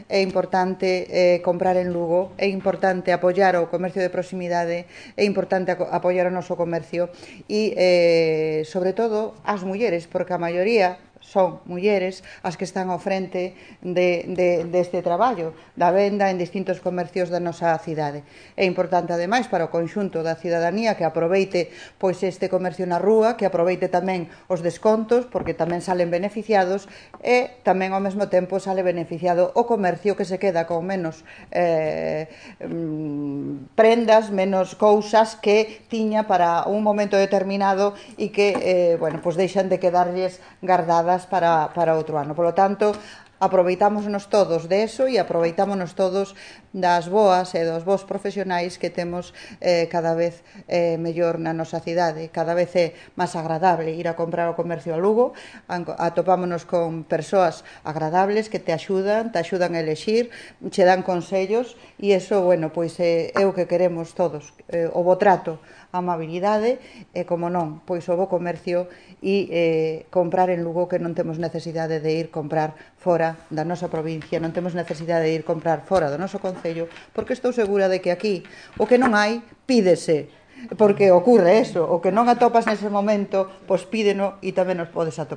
É importante comprar en Lugo, é importante apoiar o comercio de proximidade, é importante apoiar o noso comercio e, sobre todo, as mulleres, porque a maioría son mulleres as que están ao frente deste traballo da venda en distintos comercios da nosa cidade. É importante, ademais, para o conxunto da cidadanía que aproveite pois este comercio na rúa, que aproveite tamén os descontos, porque tamén salen beneficiados, e tamén ao mesmo tempo sale beneficiado o comercio que se queda con menos prendas, menos cousas que tiña para un momento determinado e que, bueno, pois deixan de quedarlles guardadas para outro ano. Polo tanto, aproveitámonos todos de eso e aproveitámonos todos das boas e dos bons profesionais que temos cada vez mellor na nosa cidade. Cada vez é máis agradable ir a comprar ao comercio a Lugo, atopámonos con persoas agradables que te axudan a elexir, che dan consellos e eso, bueno, pois é o que queremos todos, o bo trato, a amabilidade e, como non, pois o bo comercio e comprar en Lugo, que non temos necesidade de ir comprar fora da nosa provincia, non temos necesidade de ir comprar fora do noso concello, porque estou segura de que aquí o que non hai, pídese, porque ocurre eso, o que non atopas nese momento, pois pídeno e tamén nos podes atopar.